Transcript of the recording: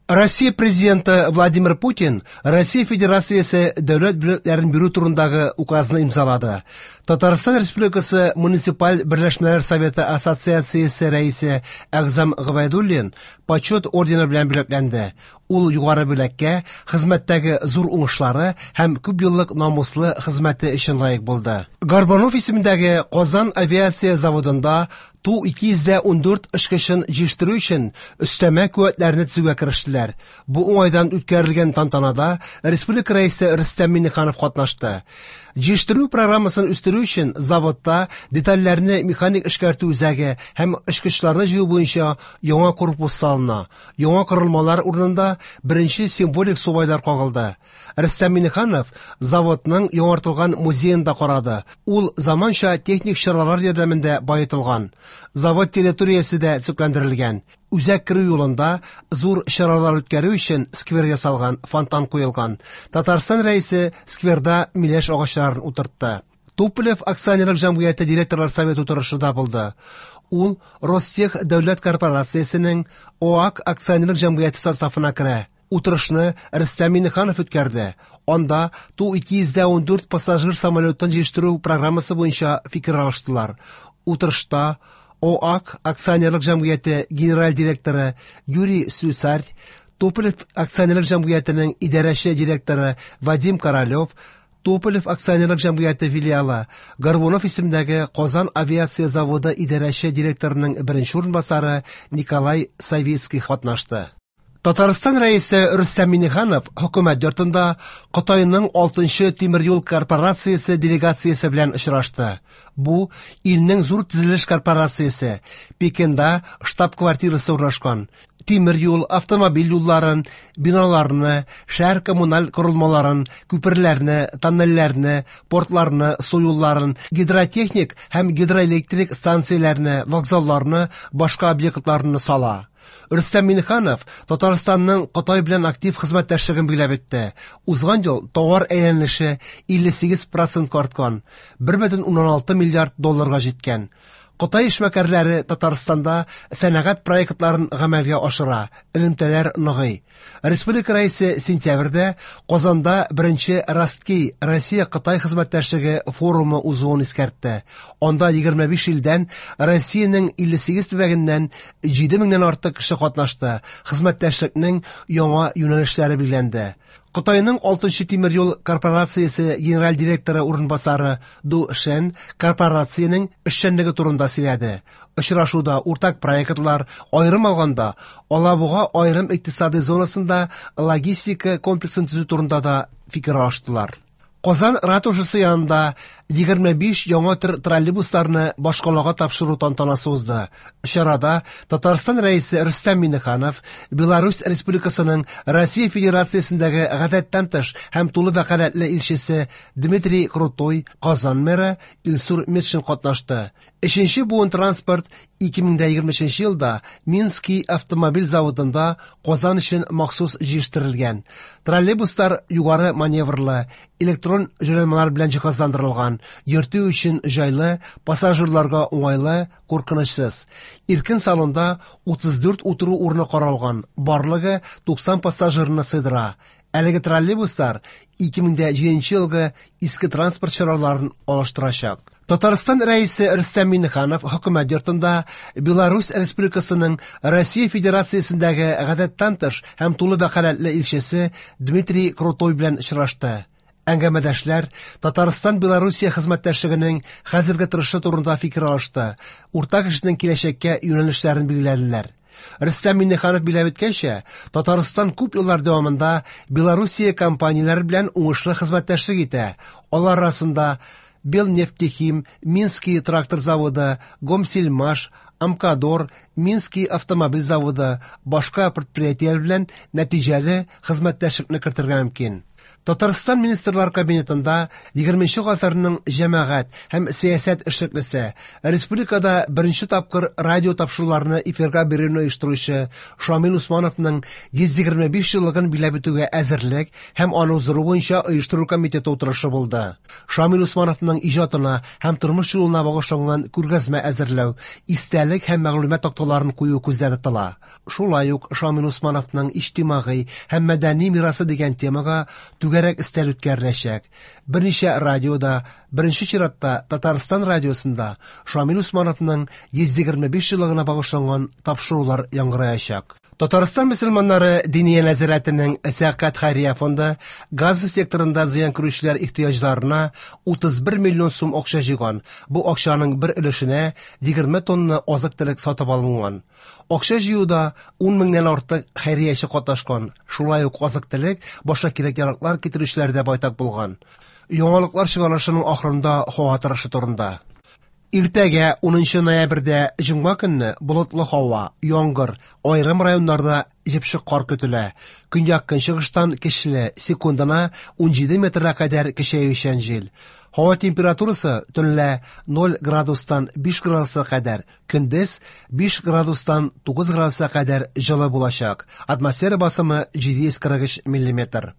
Россия Президенты Владимир Путин Россия Федерациясе дәүләт бүләкләрен бирү турындагы указны имзалады. Татарстан Республикасы Муниципаль берләшмәләр советы ассоциациясе рәисе Әгъзам Гобәйдуллин Почет ордены белән бүләкләнде. Ул югары бүләккә хезмәттәге зур уңышлары һәм күпьеллык намуслы хезмәте өчен лаек булды. Горбунов исемендәге Казан авиация заводында Ту-214 очкычын җитештерү өчен өстәмә куәтләрне төзүгә керештеләр. Бу уңайдан үткәрелгән тантанада республика Рәисе Рөстәм Миңнеханов катнашты. Җитештерү программасын үстерү өчен заводта детальләрне механик эшкәртү үзәге һәм очкычларны җыю буенча яңа корпус салына. Яңа корылмалар урынында беренче символик субайлар кагылды. Рөстәм Миңнеханов заводның яңартылган музеен да карады. Ул заманча техник чаралар ярдәмендә баетылган. Завод территориясе дә төзекләндерелгән. Үзәк керү юлында зур чаралар үткәрү өчен сквер ясалган, фонтан куелган. Татарстан Рәисе скверда миләш агачларын утыртты. Туполев акционерлык җәмгыяте директорлар советы утырышы да булды. Ул Ростех дәүләт корпорациясенең ОАК акционерлык җәмгыяте составына керә. Утырышны Рөстәм Миңнеханов үткәрде. Анда Ту-214 пассажир самолетын җитештерү программасы буенча фикер алыштылар. Утырышта ОАК акционерлык җәмгыяте генераль директоры Юрий Слюсарь, Туполев акционерлык җәмгыятенең идарәче директоры Вадим Королев, Туполев акционерлык җәмгыяте филиалы Горбунов исемендәге Казан авиация заводы идарәче директорының беренче урынбасары Николай Савицкий катнашты. Татарстан Рәисе Рөстәм Миңнеханов хөкүмәт йортында Кытайның 6нчы тимер юл корпорациясе делегациясе белән очрашты. Бу илнең зур төзелеш корпорациясе, Пекинда штаб-квартирасы урнашкан. Тимер юл, автомобиль юлларын, биналарны, шәһәр коммуналь корылмаларын, күперләрне, тоннельләрне, портларны, су юлларын, гидротехник һәм гидроэлектрик станцияләрне, вокзалларны, башка объектларны сала. Рөстәм Миңнеханов Татарстанның Кытай белән актив хезмәттәшлеген билгеләп үтте. Узган ел товар әйләнеше 58% арткан, 1,6 миллиард долларга җиткән. Кытай эшмәкәрләре Татарстанда сәнәгать проектларын гамәлгә ашыра, элемтәләр ныгый. Республика Рәисе сентябрьдә Казанда беренче Ростки Россия-Кытай хезмәттәшлеге форумы узуын искәртте. Анда 25 илдән Россиянең 58 төбәгеннән 7 меңнән артык кеше катнашты. Хезмәттәшлекнең яңа юнәлешләре билгеләнде. Кытайның 6нчы тимер юл корпорациясе генераль директоры урынбасары Ду Шен корпорациянең эшчәнлеге турында сөйләде. Очрашуда уртак проектлар, аерым алганда, Алабуга аерым икътисади зонасында логистика комплексын төзү турында да фикер алыштылар. Казан ратушасы янында 25 яңа төр троллейбусларны башкалага тапшыру тантанасы узды. Чарада Татарстан Рәисе Рөстәм Миңнеханов, Беларусь Республикасының Россия Федерациясендәге гадәттән тыш һәм тулы вәкаләтле илчесе Дмитрий Крутой, Казан мэры Илсур Метшин катнашты. Өченче буын транспорт 2023 елда Минский автомобиль заводында Казан өчен махсус җитештерелгән. Троллейбуслар югары маневрлы, электрон җайланмалар белән җиһазландырылган, йөртү өчен җайлы, пассажирларга уңайлы, куркынычсыз. Иркен салонда 34 утыру урыны каралган, барлыгы 90 пассажирны сыйдыра. Әлеге троллейбуслар 2007 елгы иске транспорт чараларын алыштырачак. Татарстан Рәисе Рөстәм Миңнеханов хөкүмәт йортында Беларусь Республикасының Россия Федерациясендәге гадәттән тыш һәм тулы вәкаләтле илчесе Дмитрий Крутой белән очрашты. Әңгәмәдәшләр Татарстан-Белоруссия хезмәттәшлегенең хәзерге торышы турында фикер алышты, уртак эшнең киләчәккә юнәлешләрен билгеләделәр. Рөстәм Миңнеханов билгеләп үткәнчә, Татарстан күп еллар дәвамында Белоруссия компанияләре белән уңышлы хезмәттәшлек итә. Алар арасында Белнефтехим, Минский трактор заводы, Гомсельмаш, Амкадор, Минский автомобиль заводы, башка предприятиеләр белән нәтиҗәле хезмәттәшлекне кертергә мөмкин. Татарстан Министрлар Кабинетында 20 гасырның җәмәгать һәм сәясәт эшлеклесе, республикада беренче тапкыр радио тапшыруларны эфирга бирүне оештыручы Шамил Усмановның 125 еллыгын билгеләп үтүгә әзерлек һәм аны уздыру буенча оештыру комитеты утырышы булды. Шамил Усмановның иҗатына һәм тормыш юлына багышланган күргәзмә әзерләү, истәлек һәм мәгълүмат такталарын кую күздә тотыла. Шулай ук Шамил Усмановның иҗтимагый һәм мәдәни мирасы дигән темага түгәрәк өстәл үткәреләчәк. Берничә радиода, беренче чиратта Татарстан радиосында Шамил Усмановның 125 еллыгына багышланган тапшырулар яңгыраячак. Татарстан мөселманнары Диния нәзарәтенең Зәкят хәйрия фонды Газа секторында зыян күрүчеләр ихтыяҗларына 31 миллион сум акча җыйган. Бу акчаның бер өлешенә 20 тонна азык-төлек сатып алынган. Акча җыюда 10 меңнән артык хәйрияче катнашкан. Шулай ук азык-төлек, башка кирәк-яраклар китерүчеләр дә байтак булган. Яңалыклар чыгарылышының ахырында һава торышы турында. Иртәгә 10 ноябрьдә җомга көнне болытлы һава, яңгыр, аерым районнарда җепшек кар көтелә. Көньяк-көнчыгыштан көчле, секундына 17 метрга кадәр көчәючән җил. Һава температурасы төнлә 0 градустан 5 градуска кадәр, көндез 5 градустан 9 градуска кадәр җылы булачак. Атмосфера басымы 743 миллиметр.